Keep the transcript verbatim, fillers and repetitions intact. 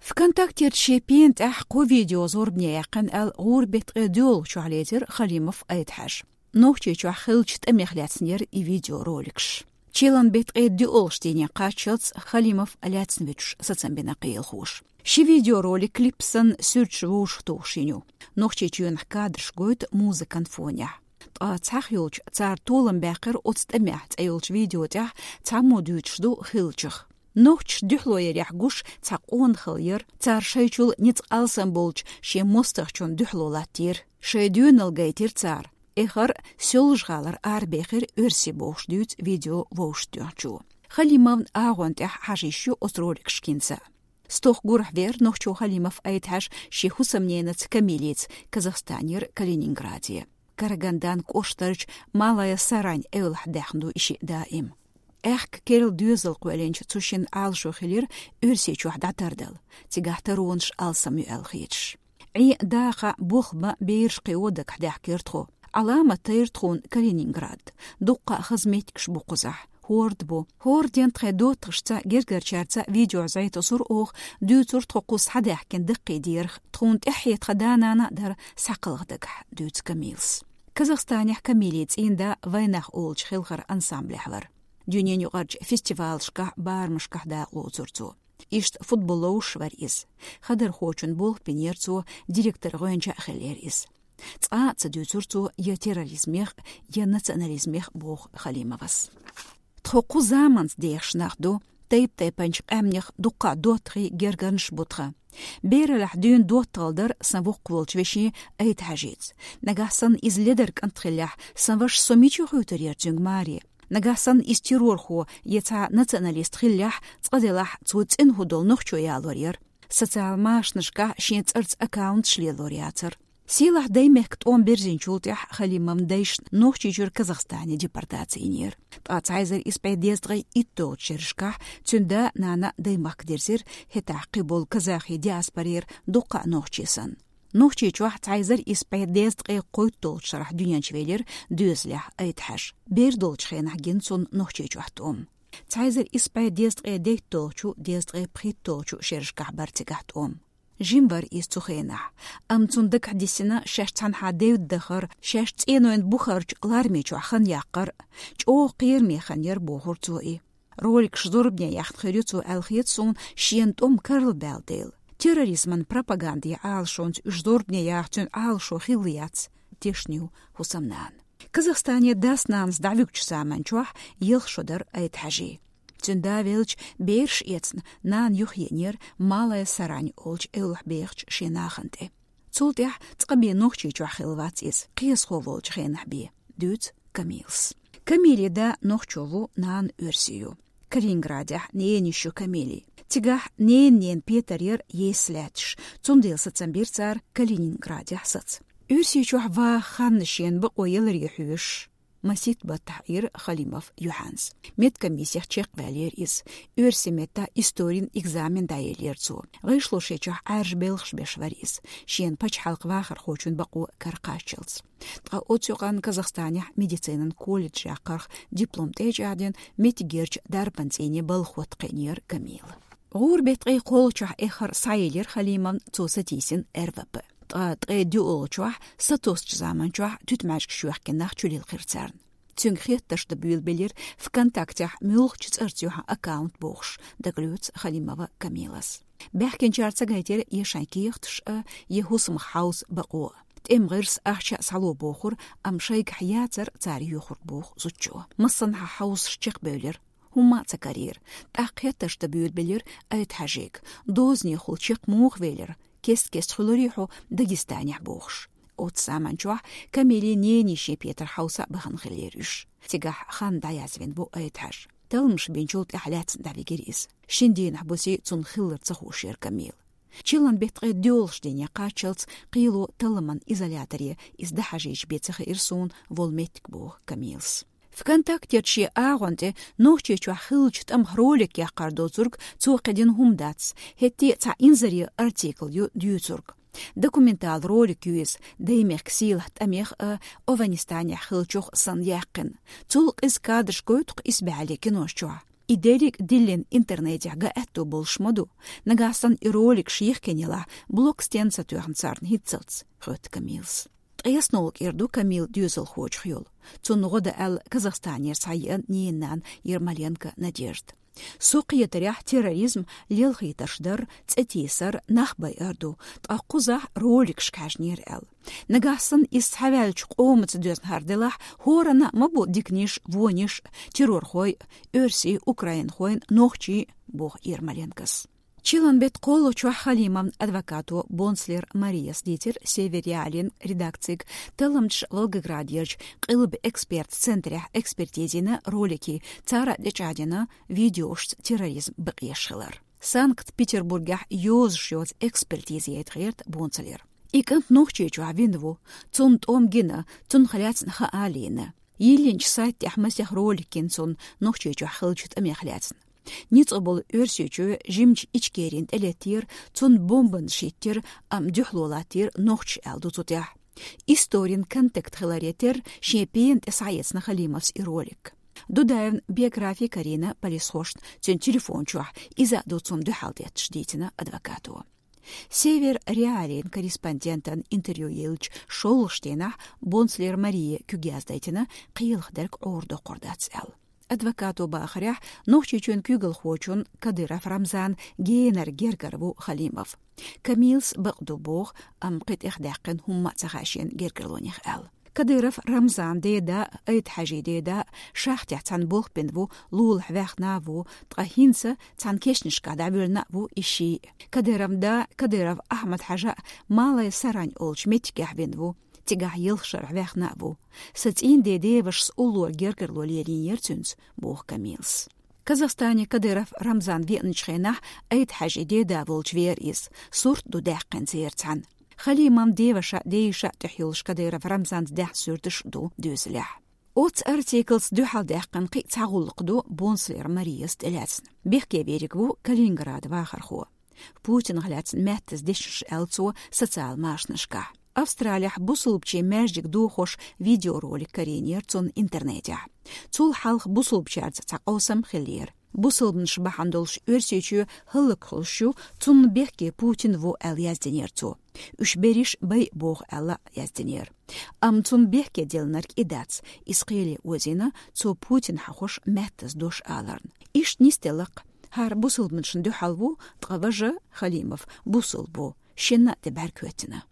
ВКонтактерчу шен пена тӀехь кхо видео зорбане яьккхина аьлла, гӀуран беттан ткъе доьалгӀачохь лецира Халимов Айдхьажа. Нохчийчохь хиллачу тӀамех лаьцна яра и видеороликаш. Чиллан беттан ткъе доьалгӀачу дийне кхаччалц Халимов лаьцна вуьтуш сацам бина кхелахоша. Ши видеоролик клип санна суьрташ вовшахтухуш йина ю. Нохчийчоьнах кадраш гойту музыкан фонехь. Ткъа цхьаьхьа йолчу цара толам баьккхира оцу тӀамехь цӀе йолчу видео тӀехь цхьаммо дуьйцуш ду хиллачух. Нохчаш дуьхьало ярехь гуш цхьа къонахалла яра, цара шайчул ницкъ алсам болчу шен мостагӀчунна дуьхьало латтийра. Шайн доьналла гайтира цара. Эххар Соьлжа-ГӀалара арабехира оьрсий бохуш дуьйцу видео вовшахтоьхначо. Халимовн агӀон тӀехь хьажа йиш ю оцу роликашкинца. Стохка гурахь веара нохчо Халимов Айдхьаж шен хӀусамненаца Камилица Казахстанера Калининграде. Карагандан кӀоштарчу Малая Сарань эвлахь даьхна ду и шиъ даим. Аьхка керла доьзал кхоьллинчу цу шинна Ӏалашо хилира Оьрсийчохь дӀатардала, цигахь таронаш алсам ю аьлла хеташ. Ӏен, дакъа, болх бан бераш кхио дагахь даьхкира тхо. Ӏаламат тайра тхуна Калининград. Дуккха а хаза меттигаш бу кхузахь. ХӀорд бу. ХӀорден тхайн доттагӀашца, гергарчаьрца видео зӀе тосура оха, дуьйцура тхо кхуза схьадаьхкина даккхий дерах. Тхуна тӀаьхье тхан да-нана а дара схьакхалха дагахь, дуьйцу Камилас. Казахстанехь Камилин цӀийнда «Вайнах» олучу хелхаран ансамблехь вара. Дуьненаюкъарчу фестивалашкахь, барамашкахь дакъалоцура цо. Иштта футбол ловзуш вара иза. Хадархочун болх бинера цо, директор гӀоьнча а хиллера иза. Цкъа а ца дуьйцура цо я терроризмех, я национализмех, боху Халимовас. Тхо кху заманца дехаш нах ду, тайп-тайпанчу къаьмнех дуккха а доттагӀий, гергарнаш бу тхан. Бераллехь дуьйна доттагӀалла дара сан воккхаволчу вешин Айдхьажица. Нагахь санна иза ледар кӀант хиллехь, сан вашас со мича хуьйцур яра цуьнга маре? Нагахь санна иза террорхо я цхьа националист хиллехь, цкъа делахь, цо цӀена хӀун долу нохчо ялор яра? Социал машанашкахь шен цӀарца аккаунташ лелор яцара. Сийлахь Даймехкан тӀом бирзинчул тӀаьхьа Халимовн дайшна Нохчийчуьра Казахстане депортаци йинера. Ткъа цхьа эзар исс бӀе дезткъе итталгӀачу шерашкахь цуьнан да-нана Даймахка дирзира, хӀетахь кхиболу казахи диаспорера дуккха а нохчий санна. Нохчийчохь цхьа эзар исс бӀе дезткъе кхойтталгӀачу шарахь дуьнен чу велира доьзалехь Айдхьаж. Бер долчу хенахь гина цунна Нохчийчохь тӀом. Цхьа эзар исс бӀе дезткъе дейтталгӀачу, дезткъе пхийтталгӀачу шерашкахь бара цигахь тӀом. Жима вара иза цу хенахь, амма цунна дагахь диссина шаьш цхьанхьа девдда дахар, шаьш цӀенойн бухарчу ларме чохь хан яккхар. ЧӀогӀа кхераме хан яра, бохура цо и. Роликаш зорбане яхна хир ю цо аьлла хета суна, шена тӀом карлабаьлла дела. Терроризман пропагандин Ӏалашонца уьш зорбане яхна цуьнан Ӏалашо хилла яц, тешна ю хӀусамнана. Казахстане дас-нанас дӀавуьгучу заман чохь ялх шо дара Айдхьажин. Цуьнан да велча, бераш эцна, нана юхаеанера Малая Сарань олучу эвлахь бехачу шен нахана тӀе. Цул тӀаьхьа цкъа бен Нохчийчохь хилла вац иза, кхиазхо волчу хенахь бен, дуьйцу Камилас. Камилин да нохчо ву, нана оьрси ю. Калининградехь ненан йиш ю Камилин. Цигахь ненан ненан петар яра есса лаьтташ, цундела сацам бира цара Калининградехь саца. Оьрсийчохь ваха хан шена бакъо яларе хьоьжуш, масийтта баттахь Ӏийра Халимов Юхьанс. Медкомиссех чекхваьллера иза. Оьрсийн меттан историн экзамен дӀаеллера цо. ГӀишлошечохь Ӏаьржа белхаш беш вара иза, шена пачхьалкхан вахархочун бакъо каракхаччалц. Ткъа оцу юкъанна Казахстанехь медицинан колледжехь карах диплом тӀечӀагӀдина, меттигерчу дарбан цӀийне балха хӀотта кхиънера Камила. ГӀуран беттан ткъе кхоалгӀачохь эххар схьаелира Халимовна, цо сатийсина РВП. Ткъа ткъе доьалгӀачохь, сатоссучу заман чохь туьтмаьжгаш йоьхкина нах чулилхира царна. Цуьнга хеттарш дан буьйлабелира ВКонтактехь муьлххачу цӀарца юьхьан аккаунт бохуш, дагалоьцу Халимова Камилас. Баьхкинчара ца гайтира я шайн кехаташ а, я хӀусамах хьовса бакъо а. ТӀеман гӀирс, ахча а схьало бохура, амма шайгахь яцара цара йоьхург, боху зудчо. Массанхьа хьовсуш чекхбевлира. ХӀумма а ца карийра. ТӀаккха хеттарш дан буьйлабелира Айдхьажига, дозанехула чекх муха велира, кест-кеста хуьлурий хьо Дагестанехь бохуш. Оцу заман чохь Камилин ненан йишин петар хьовса а бахана хиллера уьш. Цигахь хан дӀаязвина бу Айдхьажа. Талламаш бинчул тӀаьхьа лаьцна дӀавигира иза. Шина дийнахь буси цунна хиллар ца хууш яра Камила. Чиллан беттан ткъе доьалгӀачу дийне кхаччалц кхело талламан изоляторе иза дӀахьажийча бен ца хиира суна волу меттиг, боху Камилас. ВКонтактерчу шен агӀон тӀе Нохчийчохь хиллачу тӀамах ролик яккхар доцург цо кхидина хӀума дац, хӀетте а цхьа инзаре артикл ю дуьйцург. Документал ролик ю иза, Даймехкан сийлахь тӀамех а, Авганистанехь хиллачух санна яьккхина. Цул къиза кадраш гойту-кх исбаьхьаллин кинош чохь. И деррига диллина интернетехь ган аьтто болуш ма ду. Нагахь санна и роликаш йихкина елахь, блок стенна ца тоьхна царна хӀинццалц, хоьтту Камилас. Ткъе ялх шо кӀира ду Камила доьзалхочух йолу. Цунна гӀо дан аьлла Казахстанера схьаеана ненан нана Ермоленко Надежда. Со кхетарехь, терроризм лелхийтарш дар, цӀе тийсар, нах байар ду, ткъа кхузахь роликашка хьаьжнера аьлла. Нагахь санна иза схьаваьллачу къомаца доьзна хӀара делахь, хӀоранна а ма бу диканиш, вониш, террорхой, оьрсий, украинхойн, нохчий, боху Ермоленкос. Чиллан беттан кхоалгӀачохь Халимовн адвокато Бонслер Марияс дийцира Север Реалин редакцига, талламчаш Волгоградерчу къилба эксперт центрехь экспертизина роликий, цара тӀечӀагӀдина видеошца терроризм бакъеш хилар. Санкт-Петербургехь йозуш йоцу экспертиза яйта гӀерта Бонслера. И кӀант Нохчийчохь вина ву, цунна тӀом гина, цунах лаьцна хаа лийна. Йиллинчу сайт тӀехь масех ролик гина цунна Нохчийчохь хиллачу тӀамех лаьцна. Ницкъ болу Оьрсийчоь жимачу Ичкерина тӀелеттера, цунна бомбанаш хӀиттира, амма дуьхьало латтийра нохчаша аьлла ду цу тӀехь. Историн контакт хиларе терра шен пена тӀе схьаэцна Халимовс и ролик. Дудаевн биографи карийна полисхошна цуьнан телефон чохь, иза а ду цунна дуьхьал детташ, дийцина адвокато. Север Реалин корреспондентан интервью еллачу шолгӀачу дийнахь Бонслер Мария куьг яздайтина, кхелах дерг Ӏора доккхур дац аьлла. Адвокато бахарехь, Нохчийчоьнан куьйгалхочун Кадыров Рамзан генара гергара ву Халимов. Камилас бакъ ду боху, амма кхин тӀехдаьккхина хӀумма а ца хаьа шена гергарлонех аьлла. Кадыров Рамзан деда, Айт-Хьаьжин деда, шахтехь цхьаьна болх бина ву, лулахь ваьхна а ву, ткъа хӀинца цхьана кешнашкахь дӀавоьллина а ву и шиъ. Кадыровн да, Кадыров Ахьмад-Хьаьжа, Малай Сарань олучу меттигехь вина ву, цигахь ялх шарахь ваьхна а ву. Сан цӀийнан ден девашас уллора гергарло лелийнера цуьнца, боху Камилас. Казахстане Кадыров Рамзан веаначу хенахь Айт-Хьаьжин деда волчу веара иза, сурт ду даьккхина церан цхьаьна. Халимовн деваша, дейиша тӀехь йолуш Кадыров Рамзанца даьхна суьрташ а ду доьзалехь. Оццу артиклца дуьхьал даьккхина кхин а цхьа гӀуллакх ду Бонслер Марияс тӀелаьцна. Бехке верг ву Калининграда вахархо. Путинах лаьцна маьттаза дешнаш аьлла цо социал машанашкахь. Австралехь бусулбачийн маьждиг дохош видеоролик карийнера цунна интернетехь. Цул хьалха бусулбачаьрца цхьа къовсам хиллера. Бусулбанаш бахьана долуш Оьрсийчоь хӀаллакьхуьлуш ю, цунна бехке Путин ву аьлла яздинера цо. Уьш берриш бай боху аьлла яздинера. Амма цунна бехке делларг и дац, иза кхеле озийна, цо Путин хьахош маьттаза дош аларна. Иштта нисделла-кх, хӀара бусулбанашна дуьхьал ву, ткъа важа, Халимов, бусулба ву, шинна а тӀе бӀаьрг хӀоьттина.